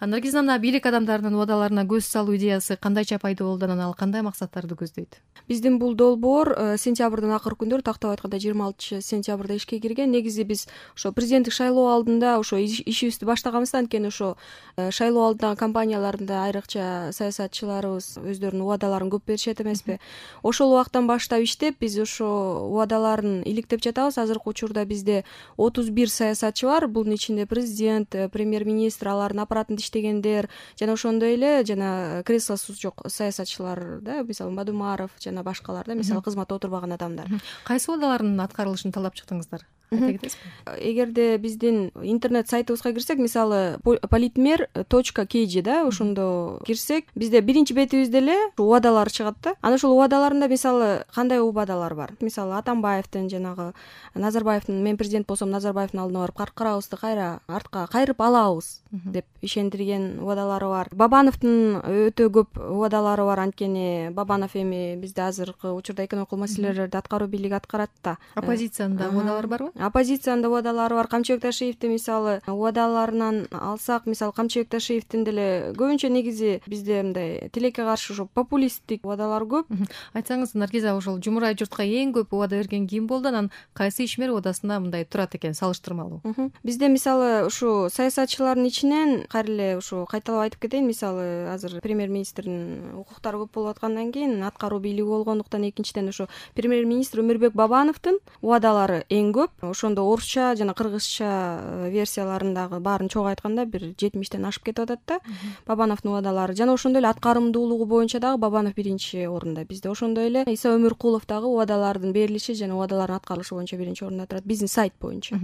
Наргиз мына бийлик адамдарынын убадаларына көз салуу идеясы кандайча пайда болду, анан ал кандай максаттарды көздөйт? Биздин бул долбоор сентябрдын акыркы күндөрү, тактап айтканда 26-сентябрда ишке кирген. Негизи биз ошо президенттик шайлоо алдында ошо ишибизди баштаганбыз да, анткени ошо шайлоо алдындагы кампанияларында айрыкча саясатчыларыбыз өздөрүнүн убадаларын көп беришет эмеспи. Ошол убактан баштап иштеп, биз ошо убадаларын иликтеп жатабыз. Азыркы учурда бизде 31 саясатчы бар. Бунун ичинде президент, премьер-министр, алардын аппаратында иштегендер жана ошондой эле жана креслосу жок саясатчылар да, мисалы Бадумаров жана башкалар да, мисалы кызматта отурбаган адамдар. Кайсы убадалардын аткарылышын талап чыктыңыздар? Айта кетесизби? Эгерде биздин интернет сайтыбызга кирсек, мисалы politmer.kg да, ошондо кирсек, бизде биринчи бетибизде эле убадалар чыгат да. Анан ошол убадаларында мисалы кандай убадалар бар? Мисалы Атамбаевдин, жанагы Назарбаевдин, мен президент болсом Назарбаевдин алдына барып каркырабызды кайра артка кайрып алабыз деп ишендирген убадалары бар. Бабановдун өтө көп убадалары бар, анткени Бабанов эми бизде азыркы учурда экономикалык маселелерди аткаруу бийлиги аткарат да. Оппозициянын да убадалары барбы? Оппозициянын да убадалары бар. Камчыбек Ташиевдин мисалы убадаларынан алсак, мисалы Камчыбек Ташиевдин деле көбүнчө негизи бизде мындай тилекке каршы ошо популисттик убадалар көп. Айтсаңыз, Наргиза, ошол жумурай журтка эң көп убада берген ким болду? Анан кайсы ишмер убадасында мындай турат экен, салыштырмалуу? Бизде мисалы ушу саясатчылардын ичинен кайра эле ушу кайталап айтып кетейин, мисалы азыр премьер-министрдин укуктары көп болуп аткандан кийин аткаруу бийлиги болгондуктан, экинчиден ошо премьер-министр Өмүрбек Бабановдун убадалары эң көп. Ошондо орусча жана кыргызча версияларындагы баарын чогуу айтканда бир 70тен ашып кетип атат да Бабановдун убадалары. Жана ошондой эле аткарымдуулугу боюнча дагы Бабанов биринчи орунда. Бизде ошондой эле Иса Өмүркулов дагы убадалардын берилиши жана убадалардын аткарылышы боюнча биринчи орунда турат, биздин сайт боюнча.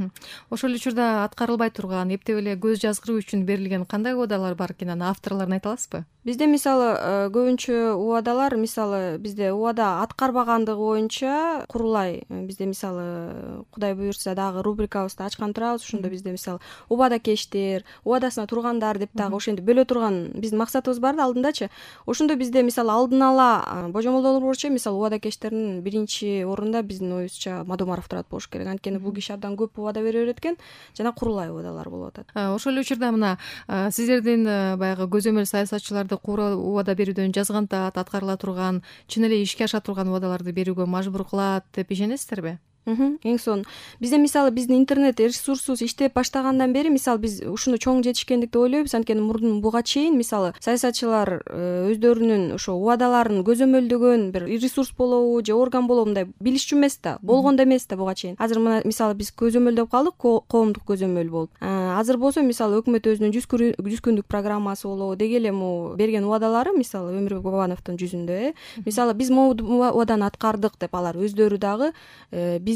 Ошол учурда аткарылбай турган, эптеп эле көз жазгыруу үчүн берилген кандай убадалар бар экен, анын авторлорун айта аласызбы? Бизде мисалы көбүнчө убадалар, мисалы бизде убада аткарбагандыгы боюнча курулай, бизде мисалы Кудай буйрса дагы рубрикабызды ачкан турабыз. Ошондо бизде мисалы убадакештер, убадасына тургандар деп дагы ошентип бөлө турган биздин максатыбыз бар да алдындачы. Ошондо бизде мисалы алдын ала божомолдоо боюнча мисалы убадакештердин биринчи орунда биздин оюбузча Мадумаров турат болуш керек, анткени бул киши абдан көп убада бере берет экен, жана курулай убадалар болуп атат. Ошол эле учурда мына сиздердин баягы көзөмөл саясатчыларды убада берүүдөн жазгантат, аткарыла турган, чын эле ишке аша турган убадаларды берүүгө мажбур кылат деп ишенесиздерби? Эң сонун. Бизде мисалы биздин интернет ресурсубуз иштеп баштагандан бери мисалы биз ушуну чоң жетишкендик деп ойлойбуз, анткени мурдун буга чейин мисалы саясатчылар өздөрүнүн ошо убадаларын көзөмөлдөгөн бир ресурс болобу же орган болобу мындай билишчү эмес да, болгондо эмес да буга чейин. Азыр мына мисалы биз көзөмөлдөп калдык, коомдук көзөмөл болуп. Азыр болсо мисалы өкмөт өзүнүн 100 күндүк программасы болобу, деги эле могу берген убадалары мисалы Өмүрбек Бабановдун жүзүндө мисалы биз могу убаданы аткардык деп алар өздөрү дагы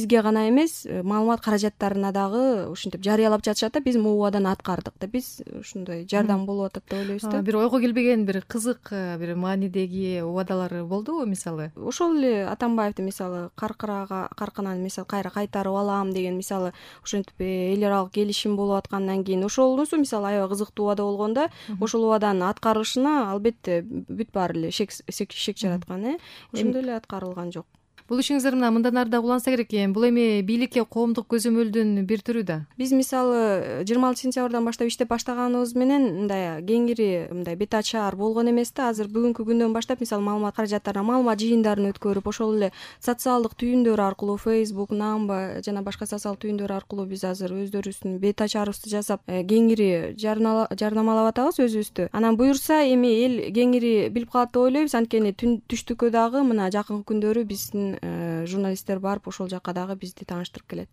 бизге гана эмес, маалымат каражаттарына дагы ушинтип жарыялап жатышат да, биз могу убаданы аткардык деп. Биз ушундай жардам болуп атат деп ойлойбуз да. Бир ойго келбеген, бир кызык, бир маанидеги убадалар болдубу мисалы? Ошол эле Атамбаевди мисалы каркынан мисалы кайра кайтарып алам деген, мисалы ошентип эл аралык келишим болуп аткандан кийин ошолусу мисалы аябай кызыктуу убада болгондо ошол убаданын аткарылышына албетте бүт баары эле шек жараткан, ошондой эле аткарылган жок. Бул ишиңиздер мындан ары да уланса керек экен. Бул эми бийликке коомдук көзөмөлдүн бир түрү да. Биз мисалы 26-сентябрдан баштап иштеп баштаганыбыз менен мындай кеңири мындай бет ачаар болгон эмес да. Азыр бүгүнкү күндөн баштап мисалы маалымат каражаттарына маалымат жыйындарын өткөрүп, ошол эле социалдык түйүндөр аркылуу Facebook, Namba жана башка социалдык түйүндөр аркылуу биз азыр өздөрүбүздүн бет ачаарыбызды жасап, кеңири жарнамалап атабыз өзүбүздү. Анан буюрса эми эл кеңири билип калат деп ойлойбуз, анткени түштүккө дагы мына жакынкы күндөрү биздин журналисттер барып ошол жакка дагы бизди тааныштырып келет.